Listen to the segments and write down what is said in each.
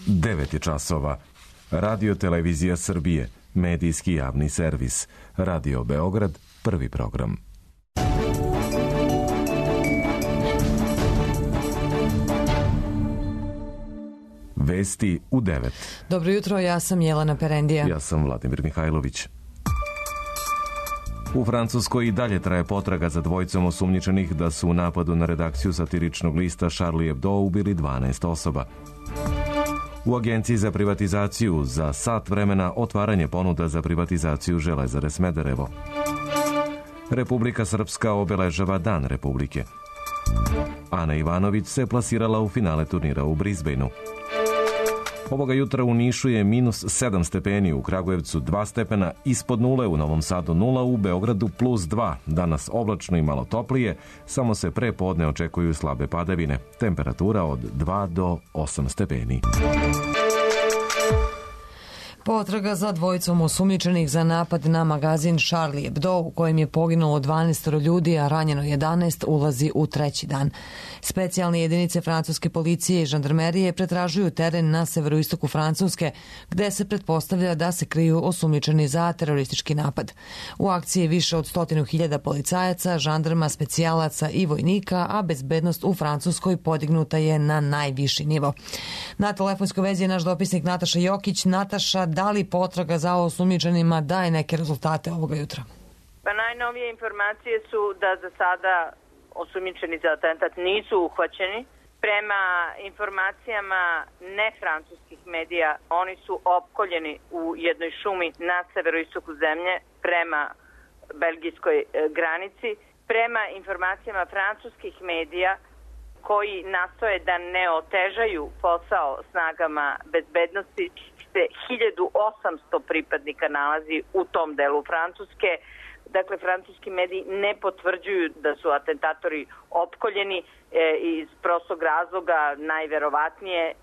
9 je časova. Radio Televizija Srbije, medijski javni servis. Radio Beograd, prvi program. Vesti u 9. Dobro jutro, ja sam Jelena Perendija. Ja sam Vladimir Mihajlović. U Francuskoj i dalje traje potraga za dvojicom osumnjičenih da su u napadu na redakciju satiričnog lista Charlie Hebdo ubili 12 osoba. U Agenciji za privatizaciju za sat vremena otvaranje ponuda za privatizaciju Železare Smederevo. Republika Srpska obeležava Dan Republike. Ana Ivanović se plasirala u finale turnira u Brisbaneu. Ovoga jutra u Nišu je minus 7 stepeni, u Kragujevcu 2 stepena, ispod nule, u Novom Sadu 0, u Beogradu plus 2. Danas oblačno i malo toplije, samo se pre podne očekuju slabe padavine. Temperatura od 2 do 8 stepeni. Potraga za dvojicom osumnjičenih za napad na magazin Charlie Hebdo, u kojem je poginulo 12 ljudi, a ranjeno 11, ulazi u treći dan. Specijalne jedinice francuske policije i žandarmerije pretražuju teren na severoistoku Francuske, gde se pretpostavlja da se kriju osumnjičeni za teroristički napad. U akciji je više od 100.000 policajaca, žandarma, specijalaca i vojnika, a bezbednost u Francuskoj podignuta je na najviši nivo. Na telefonskoj vezi je naš dopisnik Nataša Jokić. Nataša, da li potraga za osumnjičenima daje neke rezultate ovoga jutra? Pa najnovije informacije su da za sada osumnjičeni za atentat nisu uhvaćeni. Prema informacijama nefrancuskih medija, oni su opkoljeni u jednoj šumi na severoistoku zemlje prema belgijskoj granici. Prema informacijama francuskih medija, koji nastoje da ne otežaju posao snagama bezbednosti, 1800 pripadnika nalazi u tom delu Francuske. Dakle, francuski mediji ne potvrđuju da su atentatori opkoljeni iz prostog razloga, najverovatnije,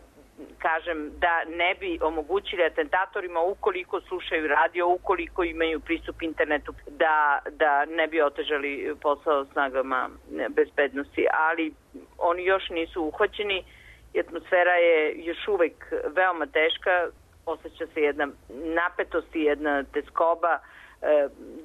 kažem, da ne bi omogućili atentatorima, ukoliko slušaju radio, ukoliko imaju pristup internetu, da ne bi otežali posao snagama bezbednosti. Ali oni još nisu uhvaćeni i atmosfera je još uvek veoma teška. Osjeća se jedna napetost i jedna teskoba.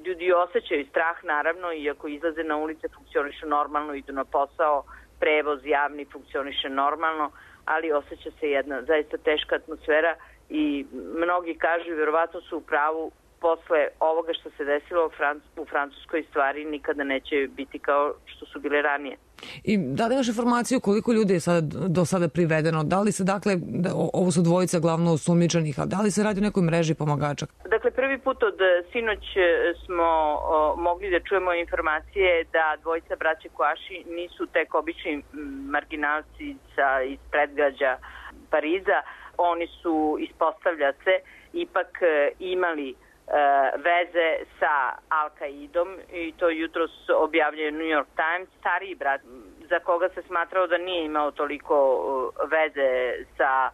Ljudi osjećaju strah, naravno, iako izlaze na ulice, funkcionišu normalno, idu na posao, prevoz javni funkcioniše normalno, ali osjeća se jedna zaista teška atmosfera i mnogi kažu, verovatno su u pravu, posle ovoga što se desilo u Francuskoj stvari nikada neće biti kao što su bile ranije. I da li imaš informaciju koliko ljudi je do sada privedeno? Da li se, dakle, ovo su dvojica glavno osumnjičenih, a da li se radi o nekoj mreži pomagača? Dakle, prvi put od sinoć smo mogli da čujemo informacije da dvojica braće Kouachi nisu tek obični marginalci iz predgrađa Pariza. Oni su, ispostavlja se, ipak imali veze sa Al-Qaidom i to jutros objavljuje New York Times. Stariji brat, za koga se smatrao da nije imao toliko veze sa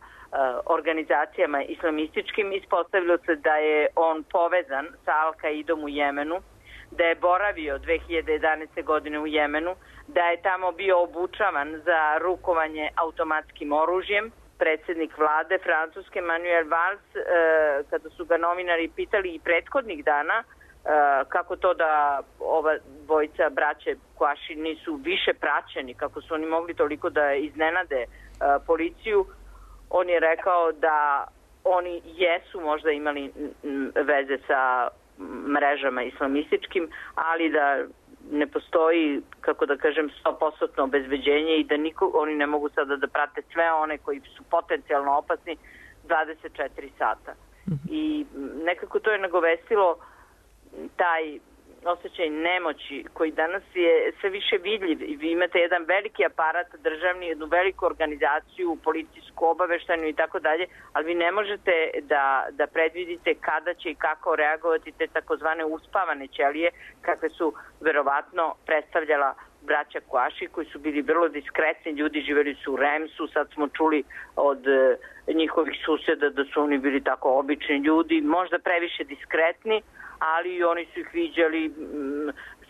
organizacijama islamističkim, ispostavilo se da je on povezan sa Al-Qaidom u Jemenu, da je boravio 2011. godine u Jemenu, da je tamo bio obučavan za rukovanje automatskim oružjem. Predsjednik vlade Francuske Manuel Valls, kada su ga novinari pitali i prethodnih dana kako to da ova dvojica braće Kouachi nisu više praćeni, kako su oni mogli toliko da iznenade policiju, on je rekao da oni jesu možda imali veze sa mrežama islamističkim, ali da ne postoji, kako da kažem, 100% obezbeđenje i da oni ne mogu sada da prate sve one koji su potencijalno opasni 24 sata. I nekako to je nagovestilo taj osjećaj nemoći koji danas je sve više vidljiv. Vi imate jedan veliki aparat državni, jednu veliku organizaciju, policijsku, obaveštajnu i tako dalje, ali vi ne možete da predvidite kada će i kako reagovati te takozvane uspavane ćelije, kakve su verovatno predstavljala braća Kouachi, koji su bili vrlo diskretni ljudi, živeli su u Remsu, sad smo čuli od njihovih suseda da su oni bili tako obični ljudi, možda previše diskretni, ali oni su ih viđali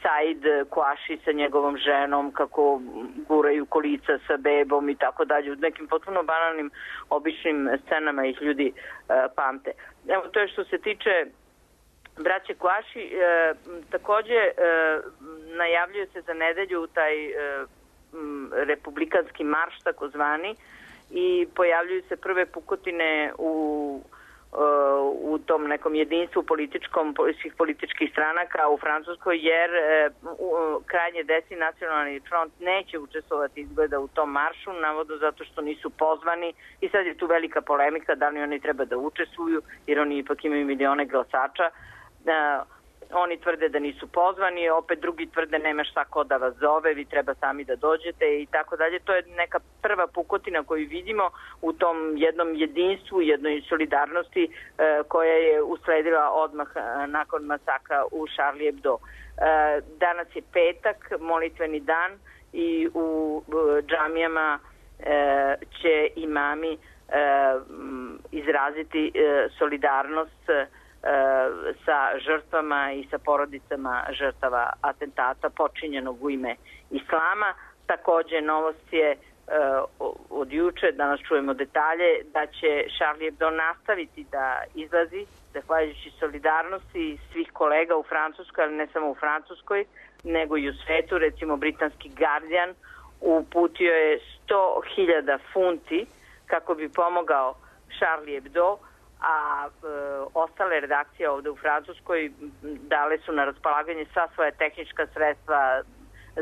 Said Kuaši sa njegovom ženom, kako guraju kolica sa bebom i tako dalje. U nekim potpuno banalnim, običnim scenama ih ljudi pamte. Evo, to je što se tiče braće Kuaši. Takođe, najavljuje se za nedelju taj republikanski marš, takozvani, i pojavljuju se prve pukotine u tom nekom jedinstvu svih političkih stranaka u Francuskoj, jer krajnje desni nacionalni front neće učestvovati izgleda u tom maršu, navodno zato što nisu pozvani, i sad je tu velika polemika da li oni treba da učestvuju, jer oni ipak imaju milione glasača. Oni tvrde da nisu pozvani, opet drugi tvrde nema šta ko da vas zove, vi treba sami da dođete i tako dalje. To je neka prva pukotina koju vidimo u tom jednom jedinstvu, jednoj solidarnosti koja je usledila odmah nakon masakra u Charlie Hebdo. Danas je petak, molitveni dan, i u džamijama će imami izraziti solidarnost sa žrtvama i sa porodicama žrtava atentata počinjenog u ime islama. Takođe, novost je od juče, danas čujemo detalje, da će Charlie Hebdo nastaviti da izlazi, zahvaljujući solidarnosti svih kolega u Francuskoj, ali ne samo u Francuskoj, nego i u svetu. Recimo, britanski Guardian uputio je 100.000 funti kako bi pomogao Charlie Hebdo, a ostale redakcije ovde u Francuskoj dale su na raspolaganje sva svoja tehnička sredstva,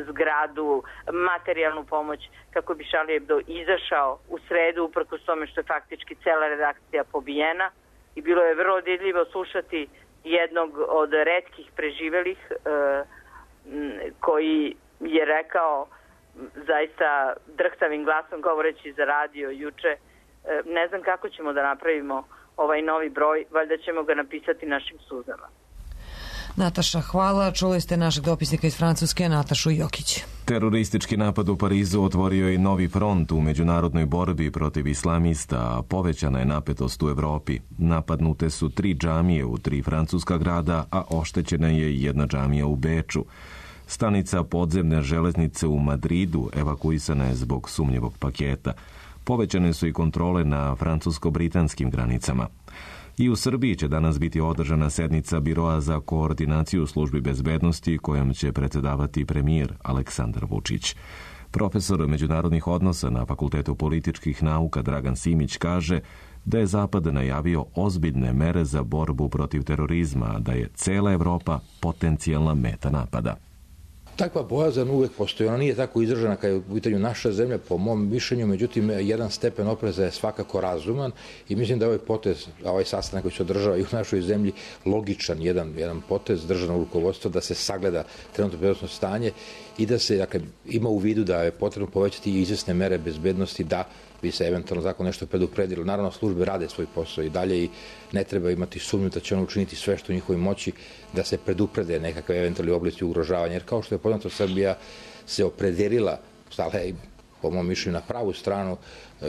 zgradu, materijalnu pomoć, kako bi Charlie Hebdo izašao u sredu, uprkos tome što je faktički cela redakcija pobijena. I bilo je vrlo dirljivo slušati jednog od retkih preživelih koji je rekao zaista drhtavim glasom, govoreći za radio juče, ne znam kako ćemo da napravimo ovaj novi broj, valjda ćemo ga napisati našim suzama. Nataša, hvala. Čuli ste našeg dopisnika iz Francuske, Natašu Jokić. Teroristički napad u Parizu otvorio je novi front u međunarodnoj borbi protiv islamista, a povećana je napetost u Evropi. Napadnute su 3 džamije u 3 francuska grada, a oštećena je i jedna džamija u Beču. Stanica podzemne železnice u Madridu evakuisana je zbog sumnjivog paketa. Povećane su i kontrole na francusko-britanskim granicama. I u Srbiji će danas biti održana sednica Biroa za koordinaciju službi bezbednosti kojom će predsedavati premijer Aleksandar Vučić. Profesor međunarodnih odnosa na Fakultetu političkih nauka Dragan Simić kaže da je Zapad najavio ozbiljne mere za borbu protiv terorizma, a da je cela Evropa potencijalna meta napada. Takva bojazan uvek postoji. Ona nije tako izražena kao je u pitanju naša zemlja, po mom mišljenju, međutim, jedan stepen opreza je svakako razuman i mislim da ovaj potez, ovaj sastanak koji se održava i u našoj zemlji, logičan jedan potez državnog rukovodstva da se sagleda trenutno bezbednosno stanje i da se, dakle, ima u vidu da je potrebno povećati i izvesne mere bezbednosti da bi se eventualno zakon nešto predupredilo. Naravno, službe rade svoj posao i dalje i ne treba imati sumnju da će ono učiniti sve što u njihovoj moći da se preduprede nekakve eventualni oblici ugrožavanja. Jer kao što je poznato, Srbija se opredelila, stala je, po mom mišljenju, na pravu stranu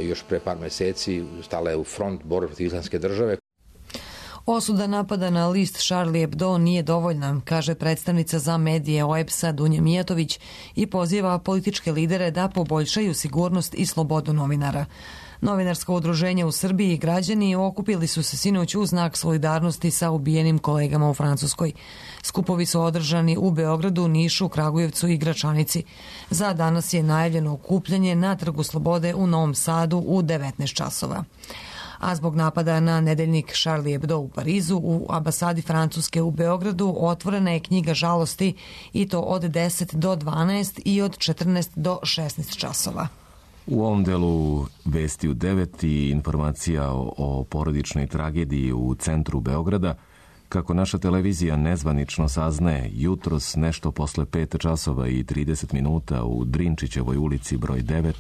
još pre par meseci, stala je u front borbe protiv islamske države. Osuda napada na list Charlie Hebdo nije dovoljna, kaže predstavnica za medije OEBS-a Dunja Mijatović i poziva političke lidere da poboljšaju sigurnost i slobodu novinara. Novinarsko udruženje u Srbiji i građani okupili su se sinoć u znak solidarnosti sa ubijenim kolegama u Francuskoj. Skupovi su održani u Beogradu, Nišu, Kragujevcu i Gračanici. Za danas je najavljeno okupljanje na Trgu Slobode u Novom Sadu u 19 časova. A zbog napada na nedeljnik Charlie Hebdo u Parizu, u ambasadi Francuske u Beogradu otvorena je knjiga žalosti i to od 10 do 12 i od 14 do 16 časova. U ovom delu vesti u 9 i informacija o porodičnoj tragediji u centru Beograda. Kako naša televizija nezvanično saznaje, jutros nešto posle 5 časova i 30 minuta u Drinčićevoj ulici broj 9,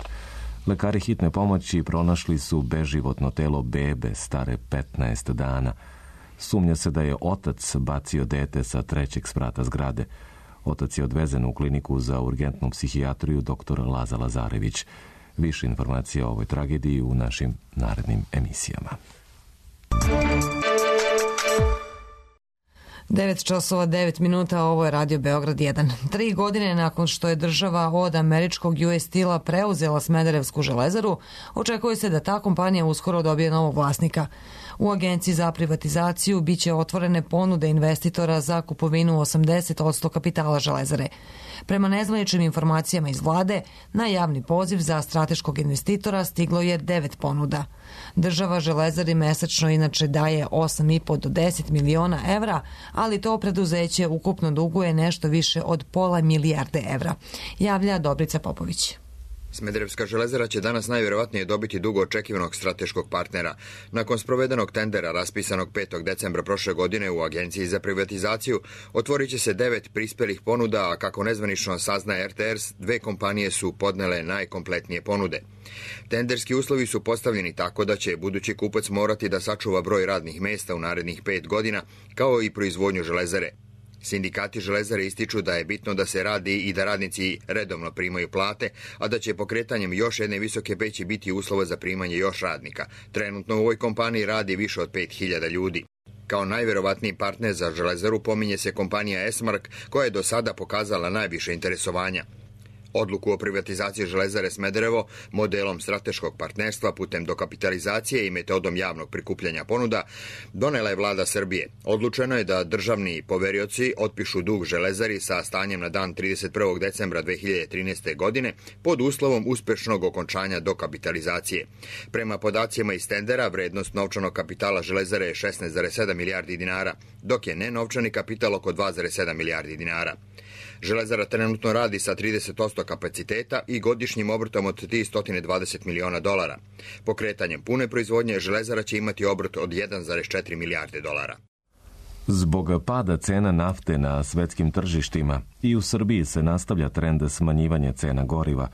lekari hitne pomoći pronašli su beživotno telo bebe stare 15 dana. Sumnja se da je otac bacio dete sa 3. sprata zgrade. Otac je odvezen u kliniku za urgentnu psihijatriju dr. Laza Lazarević. Više informacija o ovoj tragediji u našim narednim emisijama. 9:09, ovo je Radio Beograd 1. 3 godine nakon što je država od američkog US Steel-a preuzela Smederevsku železaru, očekuje se da ta kompanija uskoro dobije novog vlasnika. U Agenciji za privatizaciju biće otvorene ponude investitora za kupovinu 80% kapitala železare. Prema nezvaničnim informacijama iz vlade, na javni poziv za strateškog investitora stiglo je 9 ponuda. Država železari mesečno inače daje 8,5 do 10 miliona evra, ali to preduzeće ukupno duguje nešto više od pola milijarde evra, javlja Dobrica Popović. Smederevska železara će danas najvjerovatnije dobiti dugo očekivanog strateškog partnera. Nakon sprovedenog tendera raspisanog 5. decembra prošle godine u Agenciji za privatizaciju otvorit će se 9 prispelih ponuda, a kako nezvanično saznaje RTS, 2 kompanije su podnele najkompletnije ponude. Tenderski uslovi su postavljeni tako da će budući kupac morati da sačuva broj radnih mesta u narednih 5 godina, kao i proizvodnju železare. Sindikati železare ističu da je bitno da se radi i da radnici redovno primaju plate, a da će pokretanjem još jedne visoke peći biti uslova za primanje još radnika. Trenutno u ovoj kompaniji radi više od 5000 ljudi. Kao najverovatniji partner za železaru pominje se kompanija Esmark, koja je do sada pokazala najviše interesovanja. Odluku o privatizaciji železare Smederevo modelom strateškog partnerstva putem dokapitalizacije i metodom javnog prikupljanja ponuda donela je vlada Srbije. Odlučeno je da državni poverioci otpišu dug železari sa stanjem na dan 31. decembra 2013. godine pod uslovom uspešnog okončanja dokapitalizacije. Prema podacima iz tendera, vrednost novčanog kapitala železare je 16,7 milijardi dinara, dok je nenovčani kapital oko 2,7 milijardi dinara. Železara trenutno radi sa 30% kapaciteta i godišnjim obrtom od $320 miliona. Pokretanjem pune proizvodnje železara će imati obrt od 1,4 milijarde dolara. Zbog pada cena nafte na svetskim tržištima i u Srbiji se nastavlja trend smanjivanja cena goriva.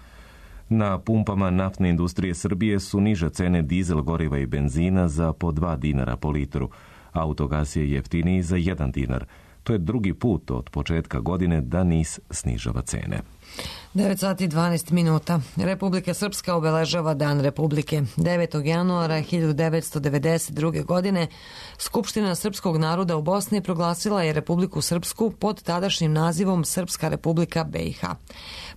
Na pumpama naftne industrije Srbije su niže cene dizel goriva i benzina za po 2 dinara po litru. Autogas je jeftiniji za 1 dinar. To je drugi put od početka godine da NIS snižava cene. 9:12. Republika Srpska obeležava Dan Republike. 9. januara 1992. godine Skupština srpskog naroda u Bosni proglasila je Republiku Srpsku pod tadašnjim nazivom Srpska Republika BiH.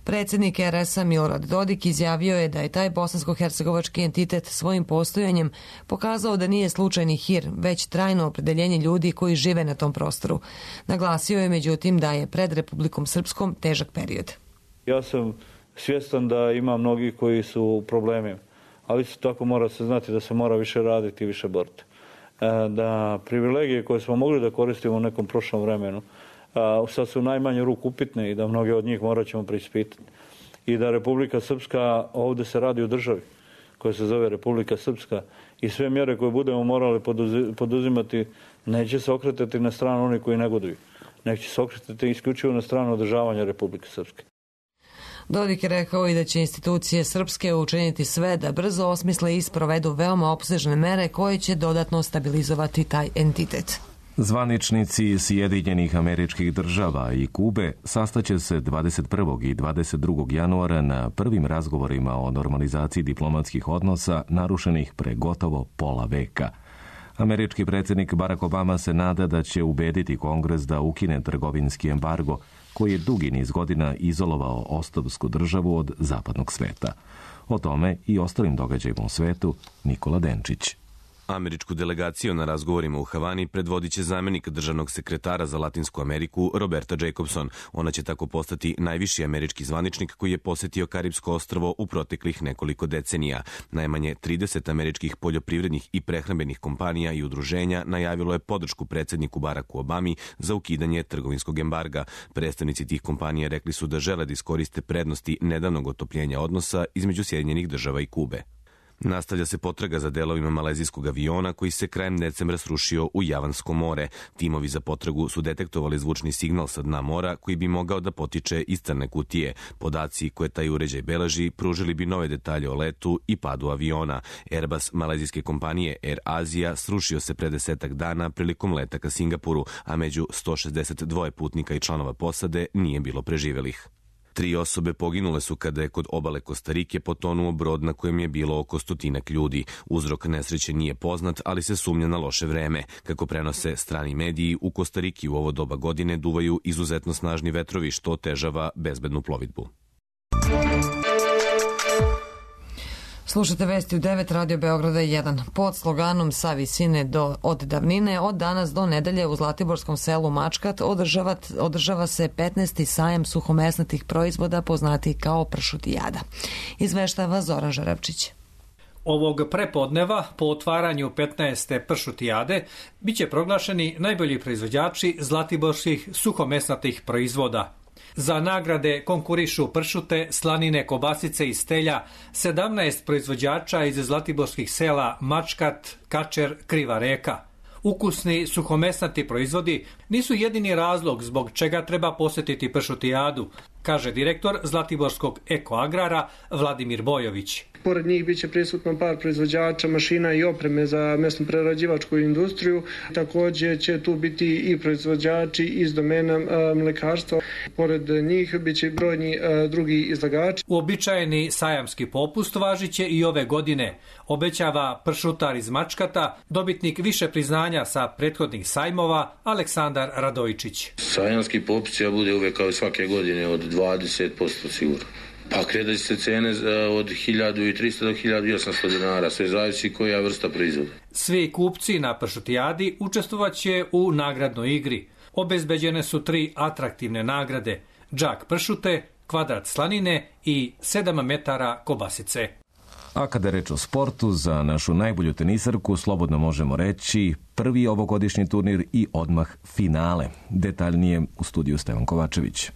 Predsjednik RS-a Milorad Dodik izjavio je da je taj bosansko-hercegovački entitet svojim postojanjem pokazao da nije slučajni hir, već trajno opredeljenje ljudi koji žive na tom prostoru. Naglasio je međutim da je pred Republikom Srpskom težak period. Ja sam svjestan da ima mnogi koji su u problemima, ali isto tako mora se znati da se mora više raditi i više boriti. Da privilegije koje smo mogli da koristimo u nekom prošlom vremenu, sad su u najmanju ruku upitne i da mnoge od njih morat ćemo preispitati. I da Republika Srpska, ovdje se radi o državi koja se zove Republika Srpska i sve mjere koje budemo morali poduzimati neće se okretati na stranu onih koji negoduju. Neće se okretati isključivo na stranu održavanja Republike Srpske. Dodik je rekao i da će institucije srpske učiniti sve da brzo osmisle i sprovedu veoma opsežne mere koje će dodatno stabilizovati taj entitet. Zvaničnici Sjedinjenih Američkih Država i Kube sastaće se 21. i 22. januara na prvim razgovorima o normalizaciji diplomatskih odnosa narušenih pre gotovo pola veka. Američki predsjednik Barack Obama se nada da će ubediti Kongres da ukine trgovinski embargo koji je dugi niz godina izolovao ostrvsku državu od zapadnog sveta. O tome i ostalim događajima u svetu Nikola Denčić. Američku delegaciju na razgovorima u Havani predvodit će zamjenik državnog sekretara za Latinsku Ameriku Roberta Jacobson. Ona će tako postati najviši američki zvaničnik koji je posjetio Karipsko ostrvo u proteklih nekoliko decenija. Najmanje 30 američkih poljoprivrednih i prehrambenih kompanija i udruženja najavilo je podršku predsjedniku Baracku Obami za ukidanje trgovinskog embarga. Predstavnici tih kompanija rekli su da žele da iskoriste prednosti nedavnog otopljenja odnosa između Sjedinjenih Država i Kube. Nastavlja se potraga za delovima malezijskog aviona koji se krajem decembra srušio u Javansko more. Timovi za potragu su detektovali zvučni signal sa dna mora koji bi mogao da potiče iz crne kutije. Podaci koje taj uređaj beleži pružili bi nove detalje o letu i padu aviona. Airbus malezijske kompanije Air Asia srušio se pre 10 dana prilikom leta ka Singapuru, a među 162 putnika i članova posade nije bilo preživelih. 3 osobe poginule su kada je kod obale Kostarike potonuo brod na kojem je bilo oko 100 ljudi. Uzrok nesreće nije poznat, ali se sumnja na loše vreme. Kako prenose strani mediji, u Kostariki u ovo doba godine duvaju izuzetno snažni vetrovi, što otežava bezbednu plovidbu. Slušate vesti u 9 Radio Beograda 1. Pod sloganom Sa visine od davnine, od danas do nedelje u zlatiborskom selu Mačkat održava se 15. sajam suhomesnatih proizvoda poznati kao pršutijada. Izveštava Zoran Žarevčić. Ovog prepodneva, po otvaranju 15. pršutijade, biće proglašeni najbolji proizvođači zlatiborskih suhomesnatih proizvoda. Za nagrade konkurišu pršute, slanine, kobasice i stelja 17 proizvođača iz zlatiborskih sela Mačkat, Kačer, Kriva Reka. Ukusni suhomesnati proizvodi nisu jedini razlog zbog čega treba posjetiti pršutijadu, kaže direktor Zlatiborskog ekoagrara Vladimir Bojović. Pored njih biće prisutno par proizvođača mašina i opreme za mesno-prerađivačku industriju. Također će tu biti i proizvođači iz domena mlekarstva. Pored njih biće brojni drugi izlagači. Uobičajeni sajamski popust važiće i ove godine, obećava pršutar iz Mačkata, dobitnik više priznanja sa prethodnih sajmova Aleksandar Radojičić. Sajamski popust će bude uvek kao svake godine od 20% sigurno. Pa kretaju se cene od 1300 do 1800 dinara, sve zavisi koja vrsta proizvoda. Svi kupci na pršutijadi učestvovaće u nagradnoj igri. Obezbeđene su 3 atraktivne nagrade: džak pršute, kvadrat slanine i 7 metara kobasice. A kada je reč o sportu, za našu najbolju tenisarku slobodno možemo reći prvi ovogodišnji turnir i odmah finale. Detaljnije u studiju Stevan Kovačević.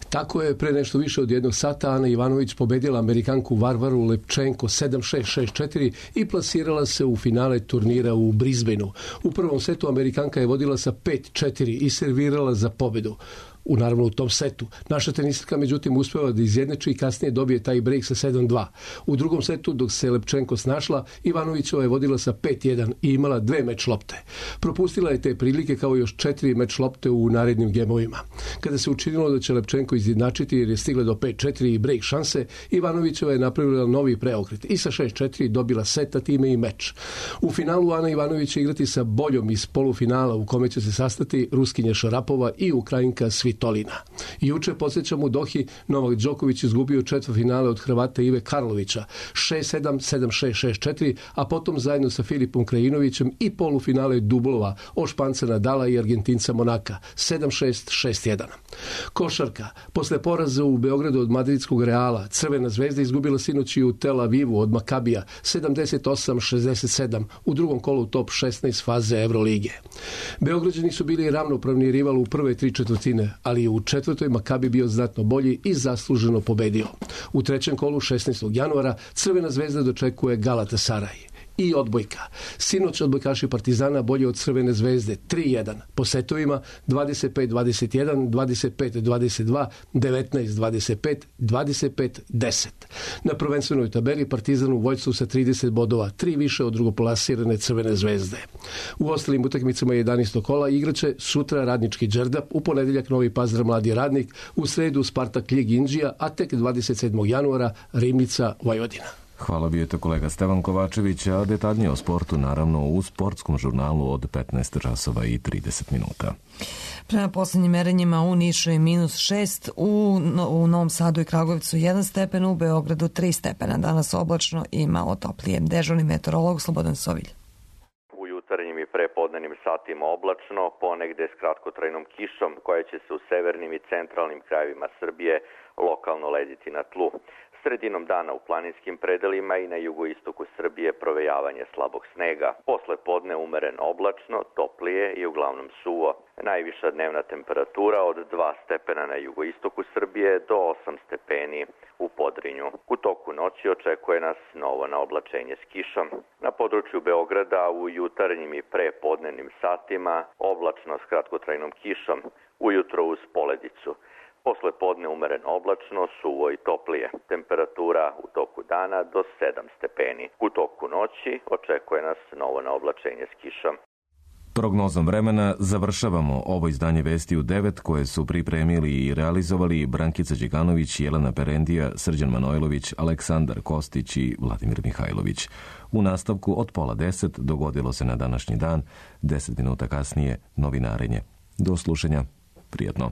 Tako je, pre nešto više od 1 sata Ana Ivanović pobedila Amerikanku Varvaru Lepčenko 7-6-6-4 i plasirala se u finale turnira u Brisbaneu. U prvom setu Amerikanka je vodila sa 5-4 i servirala za pobedu. Naravno u tom setu. Naša tenisarka međutim uspeva da izjednači i kasnije dobije taj break sa 7-2. U drugom setu, dok se Lepčenko snašla, Ivanovićova je vodila sa 5-1 i imala 2 meč lopte. Propustila je te prilike kao još 4 meč lopte u narednim gemovima. Kada se učinilo da će Lepčenko izjednačiti jer je stigla do 5-4 i break šanse, Ivanovićova je napravila novi preokret i sa 6-4 dobila seta, time i meč. U finalu Ana Ivanović će igrati sa boljom iz polufinala u kome će se sastati Ruskinja Šarapova i Ukrajinka Svitolina. Juče, podsjećam, u Dohi Novak Đoković izgubio četvrtfinale od Hrvata Ive Karlovića 6-7, 7-6, 6-4, a potom zajedno sa Filipom Krajinovićem i polufinale dublova od Španca Nadala i Argentinca Monaka 7-6, 6-1. Košarka. Posle poraza u Beogradu od madridskog Reala, Crvena zvezda izgubila sinoć i u Tel Avivu od Makabija 78-67 u drugom kolu top 16 faze Evrolige. Beograđani su bili ravnopravni rival u prve 3 četvrtine, ali u četvrtoj Makabi bio znatno bolji i zasluženo pobedio. U trećem kolu 16. januara Crvena zvezda dočekuje Galatasaraj. I odbojka. Sinoć odbojkaši Partizana bolji od Crvene zvezde 3-1. Po setovima 25-21, 25-22, 19-25, 25-10. Na prvenstvenoj tabeli Partizan u vođstvu sa 30 bodova, 3 više od drugoplasirane Crvene zvezde. U ostalim utakmicama 11. kola igraće sutra Radnički Đerdap, u ponedeljak Novi Pazar Mladi Radnik, u sredu Spartak Ljig Inđija, a tek 27. januara Rimnica Vojvodina. Hvala, bio je to kolega Stevan Kovačević, a detaljnije o sportu naravno u sportskom žurnalu od 15 časova i 30 minuta. Prema poslednjim merenjima u Nišu je -6, u Novom Sadu i Kragujevcu 1 stepen, u Beogradu 3 stepena. Danas oblačno i malo toplije. Dežurni meteorolog Slobodan Sovilj. U jutarnjim i prepodnevnim satima oblačno, ponegde s kratkotrajnom kišom koja će se u severnim i centralnim krajevima Srbije lokalno lediti na tlu. Sredinom dana u planinskim predelima i na jugoistoku Srbije provejavanje slabog snega. Posle podne umeren oblačno, toplije i uglavnom suvo. Najviša dnevna temperatura od 2 stepena na jugoistoku Srbije do 8 stepeni u Podrinju. U toku noći očekuje nas novo naoblačenje s kišom. Na području Beograda u jutarnjim i prepodnevnim satima oblačno s kratkotrajnom kišom, ujutro uz poledicu. Posle podne umeren oblačno, suvo i toplije. Temperatura u toku dana do 7 stepeni. U toku noći očekuje nas novo naoblačenje s kišom. Prognozom vremena završavamo ovo izdanje Vesti u 9 koje su pripremili i realizovali Brankica Đekanović, Jelena Perendija, Srđan Manojlović, Aleksandar Kostić i Vladimir Mihajlović. U nastavku od 9:30 dogodilo se na današnji dan, 10 minuta kasnije novinarenje. Do slušanja, prijatno.